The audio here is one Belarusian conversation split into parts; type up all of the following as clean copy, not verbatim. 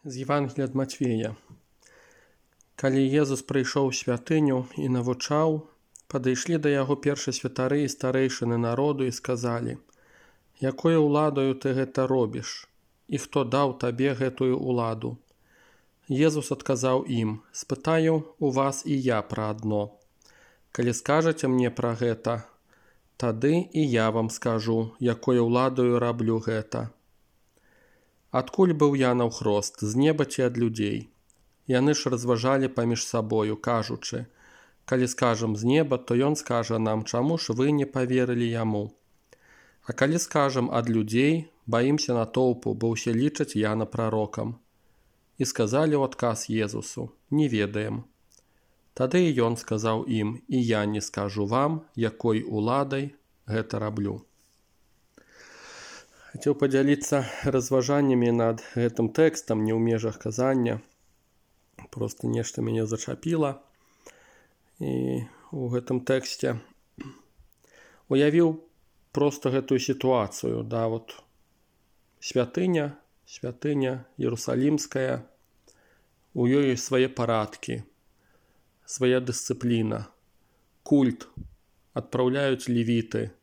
З Євангелія ад Матвея. Калі Езус прыйшоў у святыню і навучаў, падышлі да яго першасвятары і старэйшыны народу і сказалі: «Якою ўладаю ты гэта робіш? І хто даў табе гэтую ўладу?» Езус адказаў ім: «Спытаю у вас і я пра адно. Калі скажаце мне пра гэта, тады і я вам скажу, якою ўладаю раблю гэта. Адкуль быў Янаў хрост, з неба ці ад людзей?» Яны ж разважалі паміж сабою, кажучы: «Калі скажам з неба, то ён скажа нам, чаму ж вы не паверылі яму? А калі скажам ад людзей, баімся натоўпу, бо ўсе лічаць Яна прарокам». І сказалі ў адказ Езусу: «Не ведаем». Тады і ён сказаў ім: «І я не скажу вам, якой уладай гэта раблю». Хацеў падзяліцца разважаннямі над гэтым тэкстам, не ў межах казання. Просто нешта мяне зачапіла. І у гэтым тэксце уявіў просто гэтую сітуацыю. Да, вот святыня Иерусалимская, у ёй свае парадкі, свая дысцыпліна, культ, адпраўляюць левіты,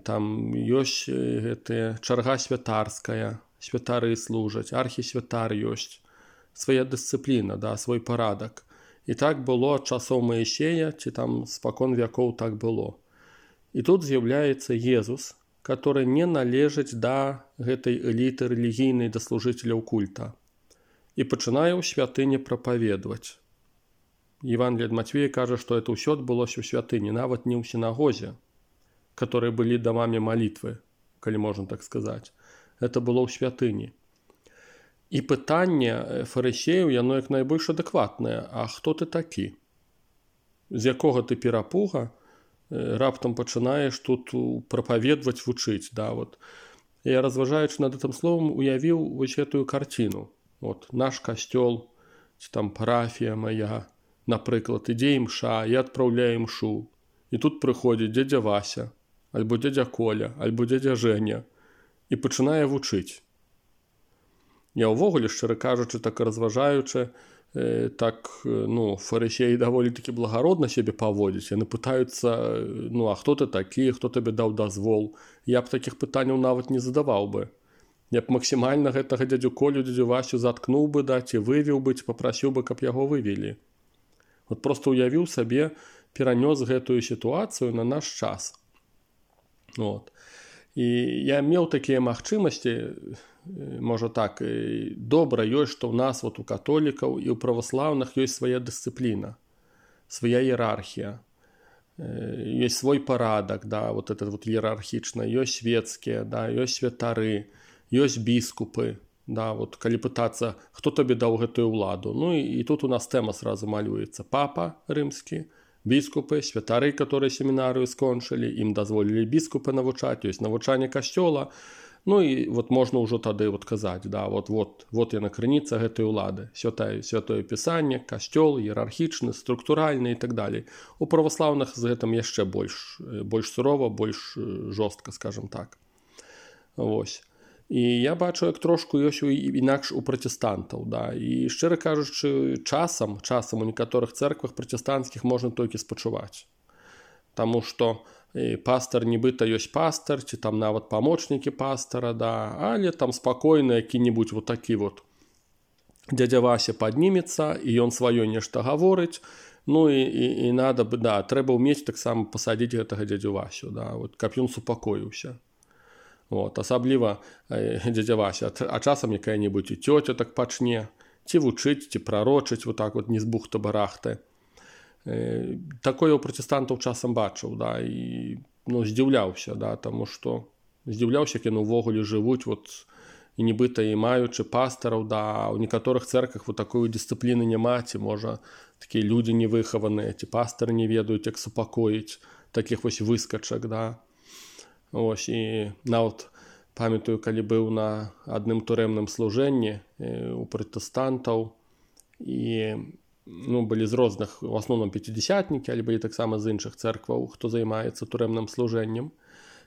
там ёсць гэтая чарга святарская, святары служаць, архісвятар ёсць, свая дысцыпліна, да, свой парадак. І так было ад часоў Маісея, ці там спакон вякоў так было. І тут з'яўляецца Езус, который не належыць да гэтай эліты рэлігійнай, да служыцеляў культа. І пачынае ў святыні прапаведаваць. Євангелие ад Матвея кажа, што это ўсё адбылося ў святыні, нават не ў сінагозе, которые былі дамамі малітвы, калі можна так сказаць. Это было ў святыні. І пытанне фарысеяў, яно як найбольш адэкватнае: а хто ты такі? З якога ты перапуга раптам пачынаеш тут прапаведваць, вучыць? Да, вот. Я, разважаючы над гэтым словам, уявіў вось гэтую карціну. Вот, наш касцёл, ці там парафія моя, напрыклад, ідзе імша, я адпраўляю імшу. І тут прыходзіць дзядзя Вася, альбо дзядзя Коля, альбо дзядзя Женя, і пачынае вучыць. Я ўвогуле, шчыра кажучы, так разважаючы, фарысеі даволі-такі благародна сябе паводзяць. Яны пытаюцца: а хто ты такі, хто табе даў дазвол? Я б такіх пытанняў нават не задаваў бы. Я б максімальна гэтага дзядзю Колю, дзядзю Васю заткнуў бы, да, ці вывеў бы, ці папрасіў бы, каб яго вывелі. Вот просто уявіў сабе, перанёс гэтую сітуацыю на наш час. Вот. І я меў такія магчымасці, можа так, добра ёсць, што ў нас, вот у католікаў і ў праваслаўных ёсць свая дысцыпліна, свая іерархія, ёсць свой парадак, да, вот это вот іерархічна, ёсць свецкія, да, ёсць святары, ёсць біскупы, да, вот калі пытацца, хто табе даў гэтую ўладу. Ну і тут у нас тэма сразу малюецца: папа рымскі, біскупы, святары, которые семінарыю скончылі, ім дазволілі біскупы навучаць, ёсць навучанне касцёла. Ну і вот можна ўжо тады вот казаць, да, вот яна крыніца гэтай улады, святое пісанне, касцёл, іерархічны, структуральны і так далей. У праваслаўных з гэтым яшчэ больш сурова, больш жорстка, скажем так. Вось. І я бачу, як трошку ёсць інакш у пратэстантаў, да. І шчыра кажучы, часам у некаторых цэрквах пратэстанцкіх можна толькі спачуваць. Таму што пастар нібыта ёсць пастар, ці там нават памочнікі пастара, да, але там спакойна які-небудзь вот такі вот дзядзя Вася паднімецца, і ён сваё нешта гаворыць. Ну і надо бы, да, трэба ўмець таксама пасадзіць гэтага дзядзю Васю, да, вот, каб ён супакоіўся. Вот, асабліва дзядзя Вася, а часам якая-небудзь і цёця так пачне, ці вучыць, ці прарочыць, вот так вот не з бухты-барахты. Такое у пратэстантаў часам бачыў, да, і здзіўляўся, да, таму што здзіўляўся, як яны ўвогуле жывуць, вот, і нібыта і маючы пастараў, да, у некаторых цэрквах вот такой дысцыпліны няма, ці можа такія людзі невыхаваныя, ці пастары не ведаюць, як супакоіць такіх вось выскачак, да. Ось, і нават памятаю, калі быў на адным турэмным служэнні у пратэстантаў, і былі з розных, у асноўным пяцідзясятнікі, але былі таксама з іншых цэркваў, хто займаецца турэмным служэннем.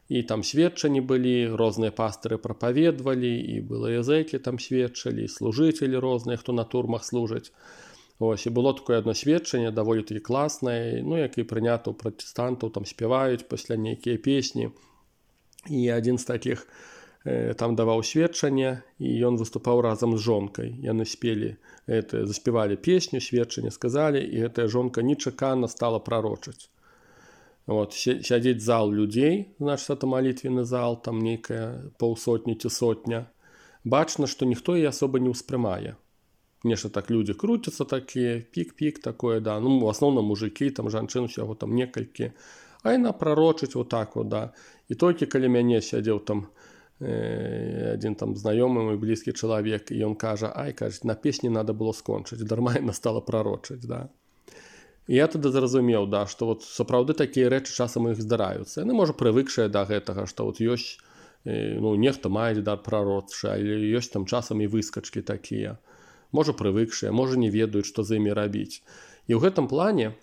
і там сведчанні былі, розныя пастыры прапаведвалі, і былыя зэкі там сведчылі, і служыцелі розныя, хто на турмах служаць. Ось, і было такое одно сведчанне, даволі такі класнае, ну, як і прынята ў пратэстантаў, там спяваюць пасля нейкія песні. І адзін з такіх там даваў сведчанне, і ён выступаў разам з жонкай. Яны спелі, заспявалі песню, сведчанне сказалі, і гэтая жонка нечакана стала прарочаць. Вот, сядзець зал людзей, значыць, это малітвенны зал, там нейкая паўсотні ці сотня. Бачна, што ніхто яе асоба не ўспрымае. Нешта так людзі круцяцца такія, пік-пік такое, да. Ну, в асноўным мужыкі, там жанчын усяго там некалькі. А яна прарочыць вот так вот, да. І толькі каля мяне сядзеў там адзін там знаёмы мой блізкі чалавек, і ён кажа, кажа, на песні надо было скончыць, дарма яна стала прарочыць, да. І я тады зразумеў, да, што вот сапраўды такія рэчы часам іх здараюцца. Яны, можа, прывыкшыя да гэтага, што вот ёсць, ну, нехта мае дар прарочча, але ёсць там часам і выскачкі такія. Можа, прывыкшыя, можа, не ведаюць, што з імі рабіць. І ў гэтым плане,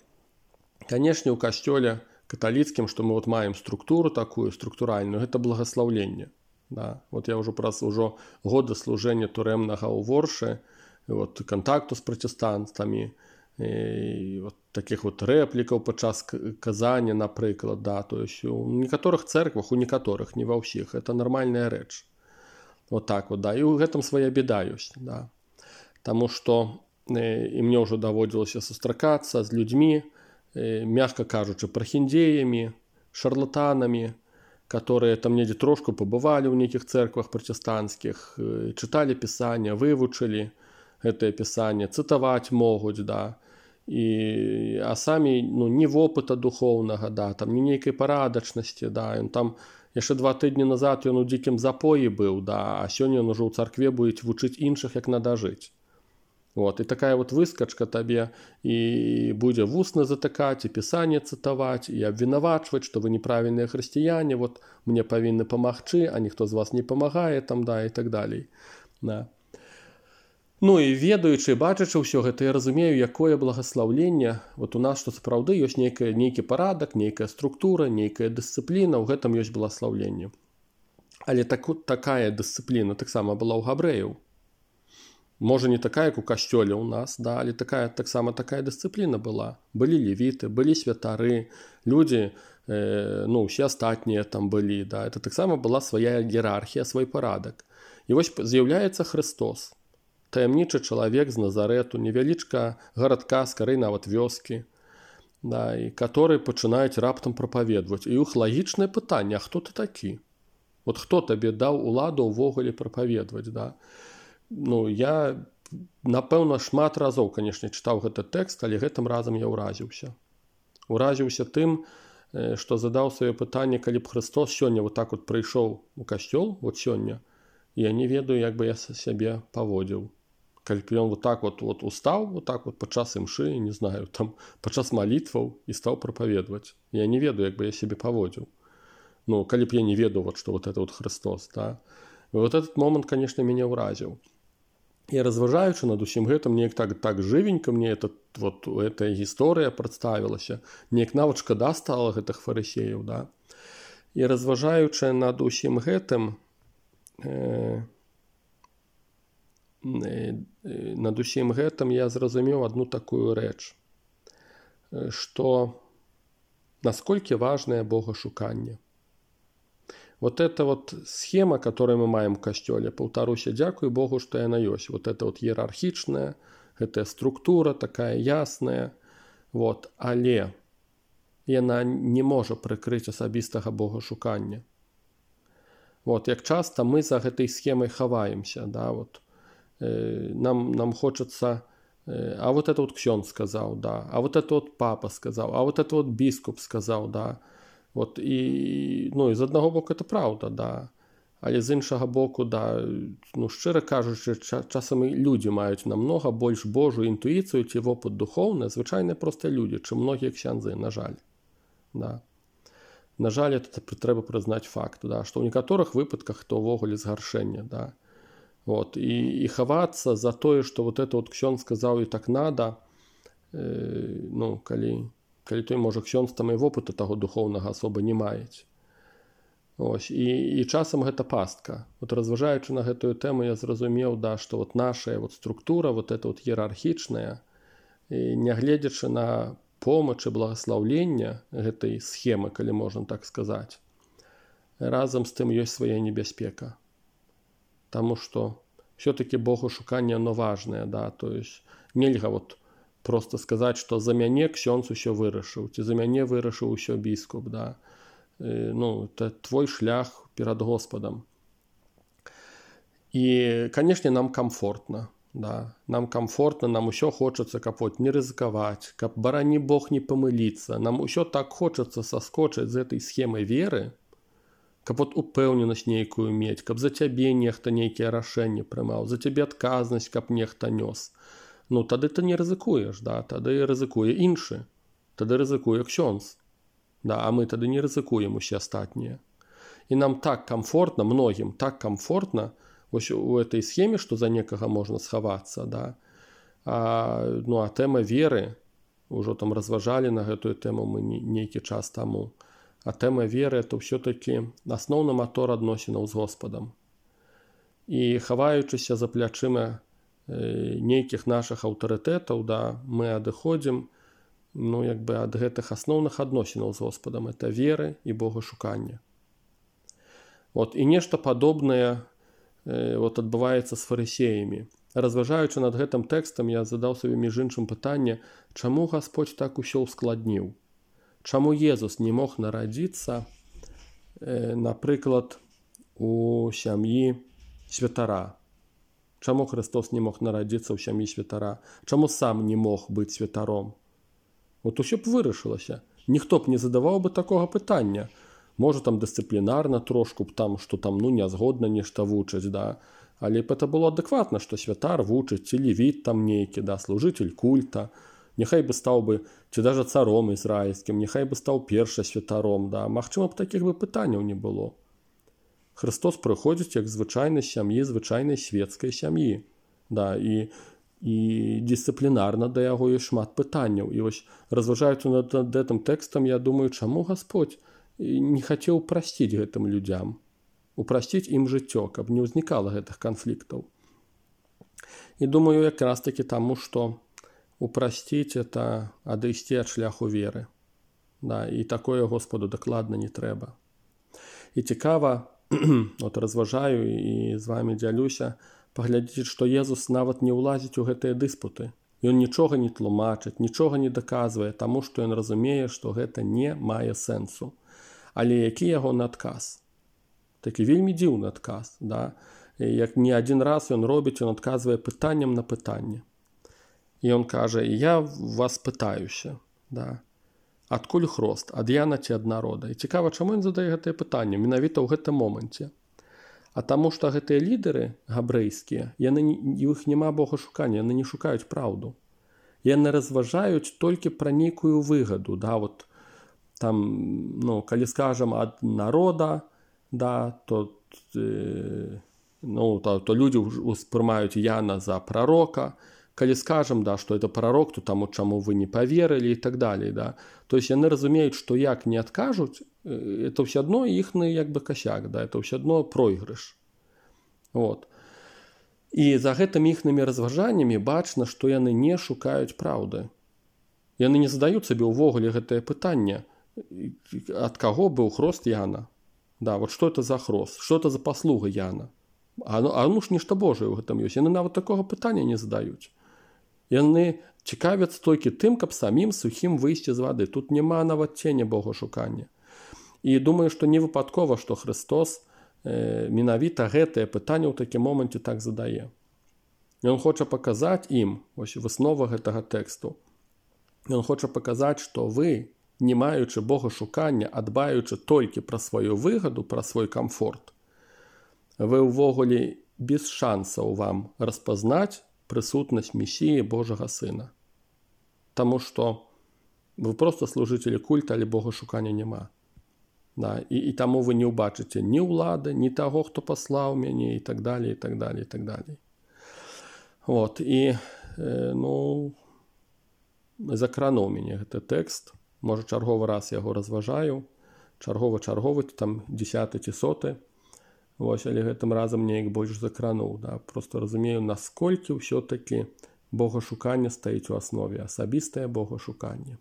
канешне, ў касцёле каталіцкім, што мы вот маем структуру такую, структуральную, гэта благаслаўленне. Да. Вот я ўжо праз годы служэння турэмнага ў Воршы, вот, кантакту з пратэстантамі, і вот таких вот рэплікаў падчас казання, напрыклад, да, то есть у некаторых цэрквах, у некаторых, не ва ўсіх, это нармальная рэч. Вот так вот, да, і ў гэтым свая беда ёсць, да. Таму што і мне ўжо даводзілася сустракацца з людзьмі, мягка кажучы, прахіндзеямі, шарлатанамі, которые там недзе трошку пабывалі ў нейкіх цэрквах пратэстанцкіх, чыталі пісання, вывучылі гэтае пісанне, цытаваць могуць, да. А самі, ну, ні вопыта духоўнага, да, там ні нейкай парадачнасці, да, ён там яшчэ 2 тыдні назад ён у дзікім запоі быў, да, а сёння ён ужо ў царкве будзе вучыць іншых, як надо жыць. Вот, і такая вот выскачка табе і будзе вусна затыкаць, і пісанне цытаваць, і абвінавачваць, што вы неправільныя хрысціяне, вот мне павінны памагчы, а ніхто з вас не памагае, там, да, і так далей. Да. Ну і ведаючы, бачачы ўсё гэта, я разумею, якое благаслаўленне вот у нас, што сапраўды ёсць нейкі парадак, нейкая структура, нейкая дысцыпліна, ў гэтым ёсць благаслаўленне. Але такая дысцыпліна таксама была ў габрэяў. Можа, не такая, як у касцёле ў нас, да, але таксама такая дысцыпліна была. Былі левіты, былі святары, людзі, ну, усе астатнія там былі, да, это таксама была свая іерархія, свой парадак. І вось з'яўляецца Хрыстос. Таямнічы чалавек з Назарэту, невялічка гарадка, скарэй нават вёскі, да, і который пачынаюць раптам прапаведваць. І іх лагічнае пытанне, а хто ты такі? Вот хто табе даў уладу ўвогуле прапаведваць, да? Ну, я, напэўна, шмат разоў, канешне, чытаў гэты тэкст, але гэтым разам я ўразіўся. Уразіўся тым, што задаў сваё пытанне, калі б Хрыстос сёння вот так вот прыйшоў у касцёл, вот сёння, я не ведаю, як бы я сябе паводзіў. Калі б ён вот так вот устаў, вот так вот падчас імшы, не знаю, там падчас малітваў і стаў прапаведваць. Я не ведаю, як бы я сябе паводзіў. Ну, калі б я не ведаў, вот, што вот это вот Христос, да. І вот этот момант, канешне, мяне ўразіў. І разважаючы над усім гэтым, неяк так жывенька мне эта гісторыя прадставілася, неяк нават шкада стала гэтых фарысеяў, да. І разважаючы над усім гэтым, я зразумеў адну такую рэч, што насколькі важнае богашуканне. Вот эта вот схема, которую мы маем в касцёле, паўтаруся, дзякуй Богу, што яна ёсць. Вот это вот іерархічная, гэтая структура такая ясная, вот, але яна не можа прыкрыць асабістага богашукання. Вот, як часта мы за гэтай схемай хаваемся, да, вот. Нам хочется, а вот это вот ксёндз сказал, да, а вот это вот папа сказал, а вот это вот біскуп сказал, да. Вот, і, ну, і з аднаго боку это правда, да. Але з іншага боку, да, ну, шчыра кажучы, часам і людзі маюць намнога больш Божую інтуіцыю ці вопыт духоўны, звычайныя проста людзі, чым многія ксяндзы, на жаль. Да. На жаль, это трэба прызнаць факт, да, што ў некаторых выпадках то ўвогуле згаршэнне, да. Вот, і хавацца за тое, што вот это вот ксёндз сказаў і так надо, ну, калі той, можа, ксёндз там і вопыта таго духоўнага асоба не маець. Ось, і часам гэта пастка. Вот разважаючы на гэтую тэму, я зразумеў, да, што вот наша вот структура, вот эта вот іерархічная, нягледзячы на помач і благаслаўлення гэтай схемы, калі можна так сказаць, разам з тым ёсць свая небяспека. Таму што все-таки богушуканне, оно важнае, да, то есть нельга вот просто сказаць, што за мяне ксёндз усё вырашыў, ці за мяне вырашыў усё біскуп, да. Ну, это твой шлях перад Господом. І, канешне, нам комфортно, да. Нам комфортно, нам усё хочацца, каб вот не рызыкаваць, каб, барані Бог, не памыліцца. Нам усё так хочацца саскочыць з этой схемы веры, каб вот упэўненасць нейкую мець, каб за цябе нехта нейкія рашэнні прымаў, за цябе адказнасць, каб нехта нёс. Ну, тады ты не рызыкуеш, да, тады рызыкуе іншы, тады рызыкуе ксёндз. Да, а мы тады не рызыкуем усе астатнія. І нам так комфортно, многім так комфортно вось у этой схеме, што за некага можна схавацца, да. Ну, а тэма веры, ужо там разважалі на гэтую тэму мы нейкі час таму, а тэма веры — это ўсё-такі асноўны матор адносінаў з Господам. І хаваючыся за плячыма нейкіх нашых аўтарытэтаў, да, мы адыходзім, ну, як бы ад гэтых асноўных адносінаў з Господам. Это веры і богашуканне. Вот, і нешта падобнае вот адбываецца з фарысеямі. Разважаючы над гэтым тэкстам, я задаў сабе між іншым пытанне, чаму Гасподзь так усё ускладніў? Чаму Езус не мог нарадзіцца, напрыклад, у сям'і святара? Чаму Христос не мог нарадзіцца ў сям'і святара? Чаму сам не мог быць святаром? Вот усё б вырашылася. Ніхто б не задаваў бы такога пытання. Можа, там дысцыплінарна трошку б там, што там, ну, нязгодна нешта вучыць, да. Але б это было адэкватна, што святар вучыць, ці левіт там нейкі, да, служыцель культа. Няхай бы стаў бы, ці даже царом ізраільскім, няхай бы стаў перша святаром, да. Магчыма б, такіх бы пытанняў не было. Христос прыходзіць як звычайнай сям'і, звычайнай светскай сям'і, да, і дысцыплінарна да яго ёсць шмат пытанняў. І вось, разважаючы над гэтым тэкстам, я думаю, чаму Гасподзь не хацеў прасціць гэтым людзям, упрасціць ім жыццё, каб не ўзнікала гэтых канфліктаў. І думаю, якраз такі таму, што упрасціць — это адысці ад шляху веры. Да, і такое Господу дакладна не трэба. І цікава, от разважаю і з вамі дзялюся, паглядзіце, што Езус нават не ўлазіць у гэтыя дыспуты. Ён нічога не тлумачыць, нічога не даказвае, таму што ён разумее, што гэта не мае сэнсу. Але які ягоны адказ? Такі вельмі дзіўны адказ, да? Як не адзін раз ён робіць, ён адказвае пытаннем на пытанне. І ён кажа: я вас пытаюся, да? Адкуль хрост, ад Яна ці ад народа? І цікава, чаму ён задае гэтае пытанне менавіта ў гэтым моменце. А таму што гэтыя лідары габрэйскія, у іх няма богашукання, яны не шукаюць праўду. Яны разважаюць толькі пра нейкую выгаду, да, вот там, ну, калі скажам ад народа, да, то людзі успрымаюць Яна за прарока. Калі скажам, да, што это прарок, то таму чаму вы не паверылі і так далей, да. То есть яны разумеюць, што як не адкажуць, это ўсё адно іхны як бы касяк, да, это ўсё адно пройгрыш. Вот. І за гэтымі іхнымі разважаннямі бачна, што яны не шукаюць праўды. Яны не задаюць сабе ўвогуле гэтае пытанне, ад каго быў хрост Яна. Да, вот што это за хрост, што это за паслуга Яна. Ну ж нешта Божае ў гэтым ёсць. Яны нават такога пытання не задаюць. Яны цікавяцца толькі тым, каб самім сухім выйсці з вады. Тут няма нават ценя богашукання. І думаю, што не выпадкова, што Христос менавіта гэтае пытанне ў такім моменце так задае. Ён хоча паказаць ім, вось выснова гэтага тэксту, ён хоча паказаць, што вы, не маючы богашукання, а дбаючы толькі пра сваю выгаду, пра свой камфорт, вы ўвогуле без шансаў вам распазнаць прысутнасць Месіі Божага Сына. Таму што вы проста служыцелі культа, але богашукання няма. Да, і таму вы не ўбачыце ні ўлады, ні таго, хто паслаў мяне, і так далей, і так далей, і так далей. Вот, і, ну, закрануў мяне гэты тэкст. Можа, чарговы раз яго разважаю. чарговы, там 10 ці 100. Вось, але гэтым разам неяк больш закрануў. Да? Просто разумею, насколькі ўсё-такі богашуканне стаіць у аснове, асабістае богашуканне.